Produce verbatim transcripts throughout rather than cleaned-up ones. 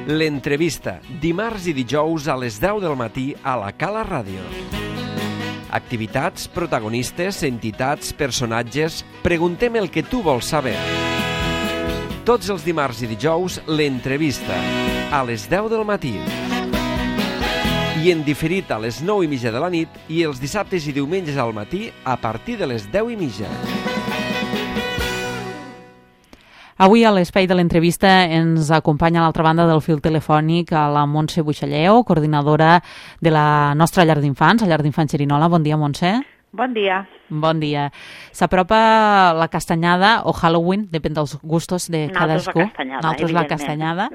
L'entrevista, dimarts i dijous a les deu del matí a la Cala Ràdio. Activitats, protagonistes, entitats, personatges... Preguntem el que tu vols saber. Tots els dimarts i dijous, l'entrevista, a les deu del matí. I en diferit a les nou i mitja de la nit i els dissabtes i diumenges al matí a partir de les deu i mitja. Avui a l'espai de l'entrevista ens acompanya a l'altra banda del fil telefònic a la Montse Buixalleu, coordinadora de la nostra llar d'infants, la llar d'infants Xerinola. Bon dia, Montse. Bon dia. Bon dia. S'apropa la castanyada o Halloween, depèn dels gustos de cadascú. Nosaltres la castanyada, Nosaltres la castanyada.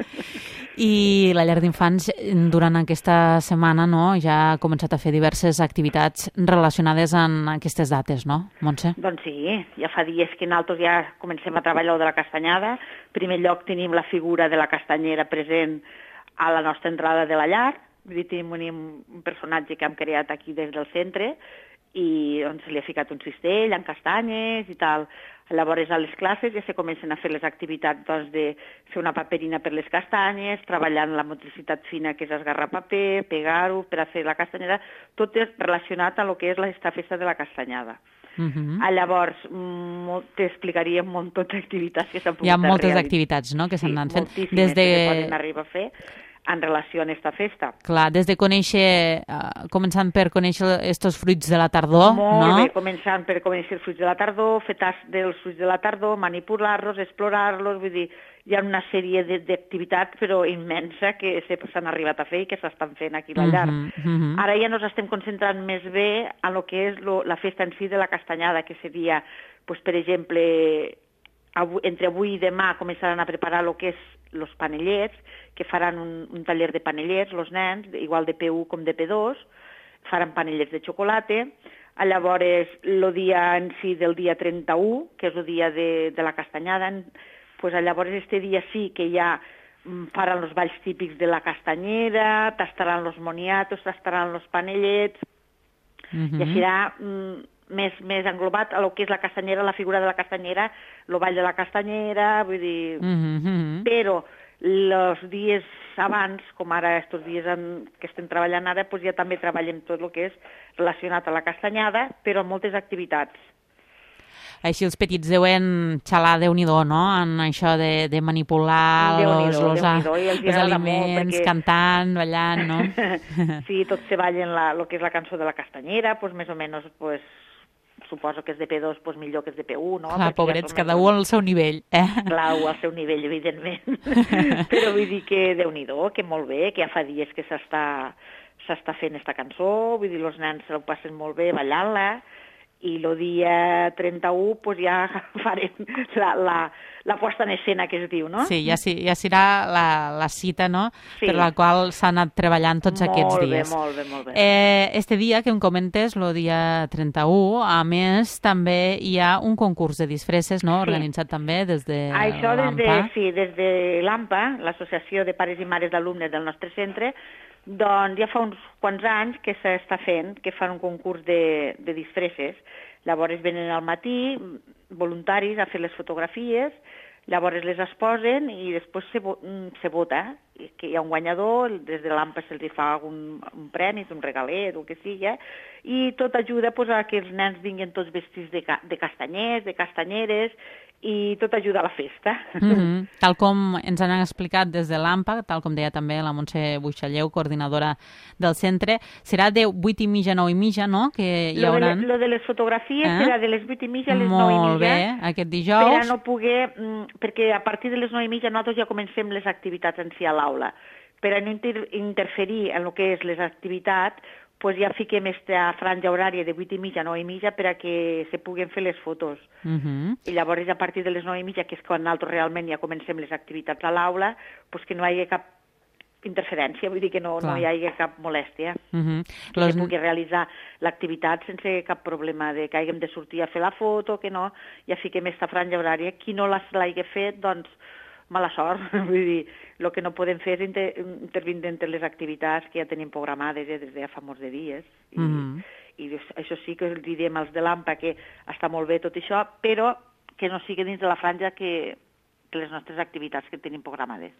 I la llar d'infants durant aquesta setmana no, ja ha començat a fer diverses activitats relacionades amb aquestes dates, no, Montse? Doncs sí, ja fa dies que nosaltres ja comencem a treballar de la castanyada. En primer lloc tenim la figura de la castanyera present a la nostra entrada de la llar. Vull dir, tenim un, un personatge que hem creat aquí des del centre i doncs, se li ha ficat un cistell amb castanyes i tal. Llavors, a les classes ja se comencen a fer les activitats doncs, de fer una paperina per les castanyes, treballant la motricitat fina, que és esgarrar paper, pegar-ho per a fer la castanyada, tot és relacionat a lo que és aquesta festa de la castanyada. Uh-huh. Ah, llavors, t'explicaria un munt d'activitats que s'han pogut realitzar. Hi ha moltes realitzar. activitats no, que s'han sí, anat fent. Des de... que se poden arribar a fer en relació a aquesta festa. Clar, des de conèixer, uh, començant per conèixer estos fruits de la tardor, Molt no? bé, començant per conèixer els fruits de la tardor, fer tast dels fruits de la tardor, manipular-los, explorar-los, vull dir, hi ha una sèrie d'activitats, però immensa, que s'han arribat a fer i que s'estan fent aquí a la llar. Uh-huh, uh-huh. Ara ja ens estem concentrant més bé en el que és lo, la festa en si de la castanyada, que seria, pues, per exemple, avui, entre avui i demà començaran a preparar el que és els panellets, que faran un, un taller de panellets, els nens, igual de P u com de P dos, faran panellets de xocolata. Llavors, el dia en si del dia trenta-u, que és el dia de, de la castanyada, pues, llavors este dia sí que ja faran els balls típics de la castanyera, tastaran els moniatos, tastaran els panellets, uh-huh. i serà mm, més, més englobat a lo que és la castanyera, la figura de la castanyera, el ball de la castanyera, vull dir... Uh-huh. Però els dies abans, com ara estos dies en, que estem treballant ara, doncs ja també treballem tot el que és relacionat a la castanyada, però amb moltes activitats. Així els petits deuen xalar Déu-n'hi-do, no?, en això de, de manipular els, els, els aliments, perquè... cantant, ballant, no? Sí, tots se ballen la, el que és la cançó de la castanyera, doncs més o menys, pues, suposo que és de P dos, doncs millor que és de P u, no? Clar, perquè pobrets, ja cada un al seu nivell, eh? Clar, un al seu nivell, evidentment. Però vull dir que Déu-n'hi-do, que molt bé, que ja fa dies que s'està s'està fent esta cançó, vull dir, els nens se ho passen molt bé ballant-la, i el dia trenta-u pues, ja farem la, la, la posta en escena que es diu, no? Sí, ja, ja serà la, la cita, no?, sí. per la qual s'ha anat treballant tots molt aquests bé, dies. Molt bé, molt bé. Eh, este dia que em comentes, el dia trenta-u, a més, també hi ha un concurs de disfresses, no?, sí. organitzat també des de Això l'A M P A. Des de, sí, des de l'A M P A, l'Associació de Pares i Mares d'Alumnes del nostre centre, doncs ja fa uns quants anys que s'està fent, que fan un concurs de, de disfresses. Llavors venen al matí voluntaris a fer les fotografies, llavors les exposen i després se, se vota, que hi ha un guanyador, des de l'A M P A se'ls fa un, un premi, un regalet, el que sigui, i tot ajuda pues, a que els nens vinguin tots vestits de, de castanyers, de castanyeres, i tot ajuda a la festa. Mm-hmm. Tal com ens han explicat des de l'A M P A, tal com deia també la Montse Buixalleu, coordinadora del centre, serà de vuit i mitja a nou i mitja, no?, que hi haurà... Lo de les fotografies eh? serà de les vuit i mitja a les nou i mitja. Molt bé, aquest dijous. Per a no poder... Perquè a partir de les nou i mitja nosaltres ja comencem les activitats en si a l'aula. Per a no inter interferir en el que és les activitats, pues ja fiquem aquesta franja horària de vuit i mitja a nou i mitja per a que se puguen fer les fotos. Uh-huh. I llavors a partir de les nou i mitja, que és quan nosaltres realment ja comencem les activitats a l'aula, pues que no hi hagi cap interferència, vull dir que no, no hi hagi cap molèstia. Uh-huh. Que los... se pugui realitzar l'activitat sense cap problema de que hàgim de sortir a fer la foto, que no, ja fiquem aquesta franja horària. Qui no l'hagi fet, doncs, mala sort. Vull dir, el que no podem fer és inter intervindre entre les activitats que ja tenim programades ja des de fa molts de dies. I, mm-hmm. i això sí que els direm als de l'A M P A que està molt bé tot això, però que no sigui dins de la franja que, que les nostres activitats que tenim programades.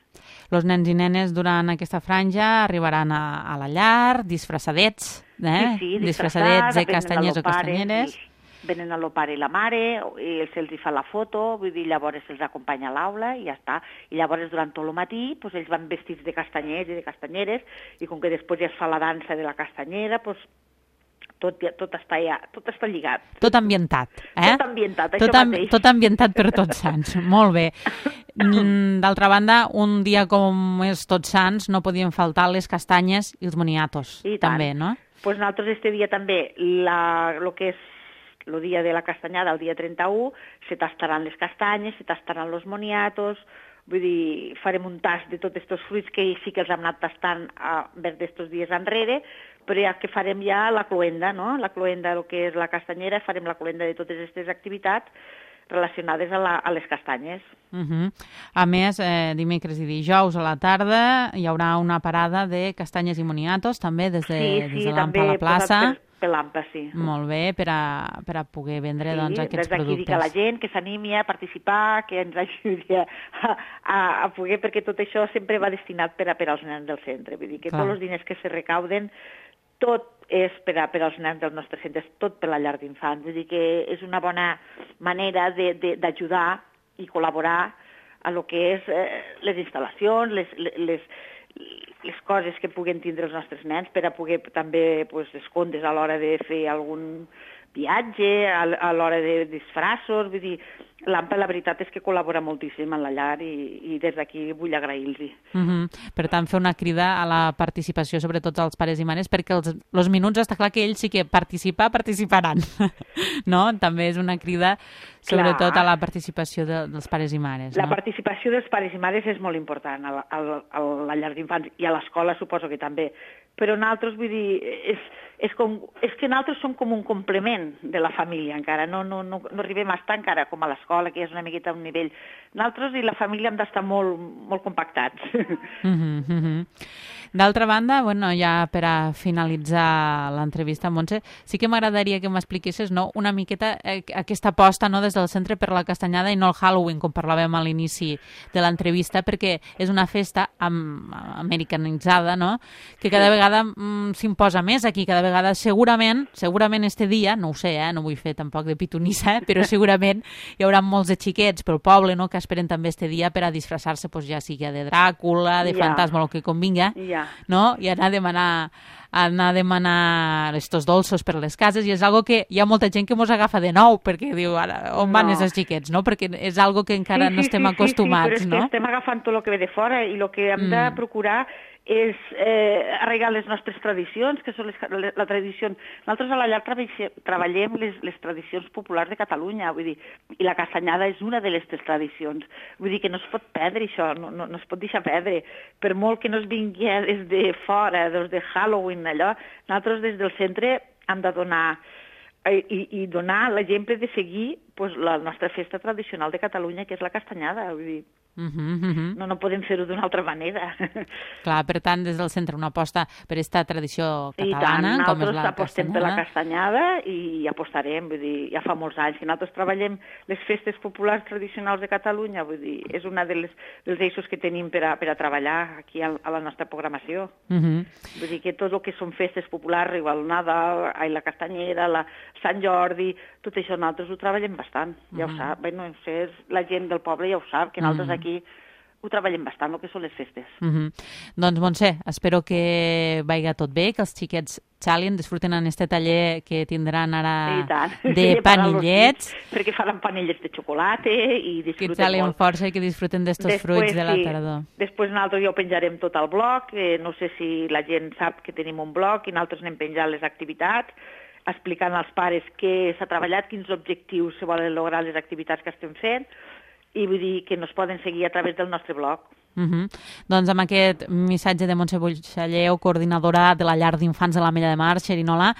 Els nens i nenes durant aquesta franja arribaran a, a la llar, disfressadets, eh? Sí, sí, disfressadets de castanyers o castanyeres. Sí. Venen el pare i la mare, i se'ls fa la foto, vull dir, llavors se'ls acompanya a l'aula i ja està. I llavors durant tot el matí pues, ells van vestits de castanyers i de castanyeres i com que després ja es fa la dansa de la castanyera, pues, tot, tot, està, ja, tot està lligat. Tot ambientat, eh? Tot ambientat, tot això mateix. Tot ambientat per Tots Sants, molt bé. D'altra banda, un dia com és Tots Sants no podien faltar les castanyes i els moniatos, I també, no? Pues nosaltres este dia també, la, lo que és el dia de la castanyada, el dia trenta-u, se tastaran les castanyes, se tastaran els moniatos, vull dir, farem un tast de tots aquests fruits que sí que els hem anat tastant a vers d'estos dies enrere, però ja que farem ja la cloenda, no? La cloenda, el que és la castanyera, farem la cloenda de totes aquestes activitats relacionades a, la, a les castanyes. Uh -huh. A més, eh, dimecres i dijous a la tarda hi haurà una parada de castanyes i moniatos, també des de, sí, sí, des de l'Ampa a la plaça. Per l'Ampa, sí. Molt bé, per a, per a poder vendre sí, doncs, aquests des d'aquí productes. dic a la gent que s'animi a participar, que ens ajudi a, a, a poder, perquè tot això sempre va destinat per, a, per als nens del centre. Vull dir que Clar. Tots els diners que se recauden, tot és per, a, per als nens dels nostres centres, tot per la llar d'infants. Vull dir que és una bona manera d'ajudar i col·laborar a lo que és eh, les instal·lacions, les, les, les coses que puguen tindre els nostres nens per a poder també pues, escondre's a l'hora de fer algun viatge, a, a l'hora de disfraços, vull dir, l'Ampa la veritat és que col·labora moltíssim en la llar i, i des d'aquí vull agrair-los. Uh -huh. Per tant, fer una crida a la participació, sobretot als pares i mares, perquè els, els minuts està clar que ells sí que participar, participaran, no? També és una crida sobretot clar. A la participació de, dels pares i mares. La no? participació dels pares i mares és molt important a la, a la, a la llar d'infants i a l'escola suposo que també, però nosaltres, vull dir, és, és, com, és que nosaltres som com un complement de la família encara, no, no, no, no arribem a estar encara com a l'escola, que és una miqueta a un nivell. Nosaltres i la família hem d'estar molt, molt compactats. Uh -huh, uh -huh. D'altra banda, bueno, ja per a finalitzar l'entrevista, Montse, sí que m'agradaria que m'expliquessis no, una miqueta eh, aquesta aposta no, des del centre per la castanyada i no el Halloween, com parlàvem a l'inici de l'entrevista, perquè és una festa am americanitzada, no?, que cada vegada mm, s'imposa més aquí, cada vegada segurament, segurament este dia, no ho sé, eh, no vull fer tampoc de pitonissa, eh, però segurament hi haurà molts de xiquets pel poble no, que esperen també este dia per a disfressar-se, pues, ja sigui de Dràcula, de ja. fantasma, el que convinga, ja. no? I anar a demanar anar a demanar estos dolços per les cases, i és algo que hi ha molta gent que mos agafa de nou, perquè diu, ara, on van no. aquests xiquets, no? Perquè és algo que encara sí, no sí, estem sí, acostumats, sí, sí, però és no? que estem agafant tot el que ve de fora i el que hem mm. de procurar és eh, arreglar les nostres tradicions, que són les, les, la tradició... Nosaltres a la llar treballem les, les tradicions populars de Catalunya, vull dir, i la castanyada és una de les tradicions. Vull dir que no es pot perdre això, no, no, no es pot deixar perdre. Per molt que no es vingui des de fora, des de Halloween, allò, nosaltres des del centre hem de donar i, i donar l'exemple de seguir pues, la nostra festa tradicional de Catalunya, que és la castanyada, vull dir, Uh -huh, uh -huh. no, no podem fer-ho d'una altra manera. Clar, per tant, des del centre una aposta per aquesta tradició catalana, I tant, com és la nosaltres apostem per la castanyada i apostarem, vull dir, ja fa molts anys que nosaltres treballem les festes populars tradicionals de Catalunya, vull dir, és una de les, dels eixos que tenim per a, per a treballar aquí a, a la nostra programació. Uh -huh. Vull dir que tot el que són festes populars, igual el Nadal, ai, la castanyera, la Sant Jordi, tot això nosaltres ho treballem bastant, ja uh -huh. ho sap, bé, no sé, la gent del poble ja ho sap, que nosaltres uh -huh. aquí ho treballem bastant, el que són les festes. Uh -huh. Doncs, Montse, espero que vaiga tot bé, que els xiquets xalien, disfruten en este taller que tindran ara de panellets. Perquè faran panellets de xocolata i disfruten que xalien molt. Força i que disfruten d'estos fruits de la sí, tardor. Després nosaltres ja ho penjarem tot al blog, eh, no sé si la gent sap que tenim un blog i nosaltres anem penjant les activitats, explicant als pares què s'ha treballat, quins objectius se volen lograr les activitats que estem fent, i vull dir que nos poden seguir a través del nostre blog. Uh -huh. Doncs amb aquest missatge de Montse Buixalleu, coordinadora de la llar d'infants de l'Ametlla de Mar, Xerinola,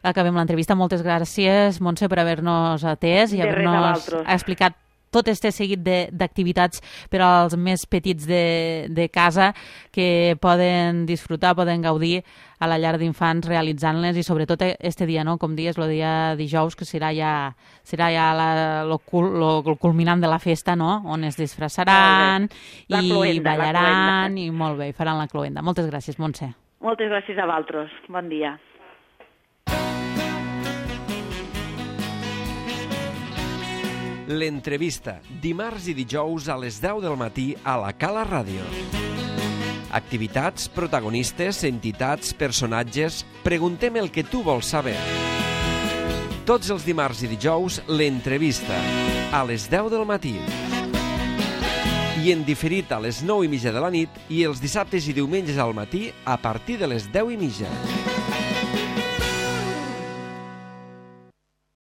acabem l'entrevista. Moltes gràcies, Montse, per haver-nos atès i haver-nos explicat tot este seguit d'activitats per als més petits de, de casa que poden disfrutar, poden gaudir a la llar d'infants realitzant-les i sobretot este dia, no? Com dies, el dia dijous, que serà ja, serà ja la, lo, lo, lo culminant de la festa, no? On es disfressaran i cloenda, ballaran i molt bé, i faran la cloenda. Moltes gràcies, Montse. Moltes gràcies a vosaltres. Bon dia. L'entrevista, dimarts i dijous a les deu del matí a la Cala Ràdio. Activitats, protagonistes, entitats, personatges... Preguntem el que tu vols saber. Tots els dimarts i dijous, l'entrevista, a les deu del matí. I en diferit a les nou i mitja de la nit i els dissabtes i diumenges al matí a partir de les deu i mitja.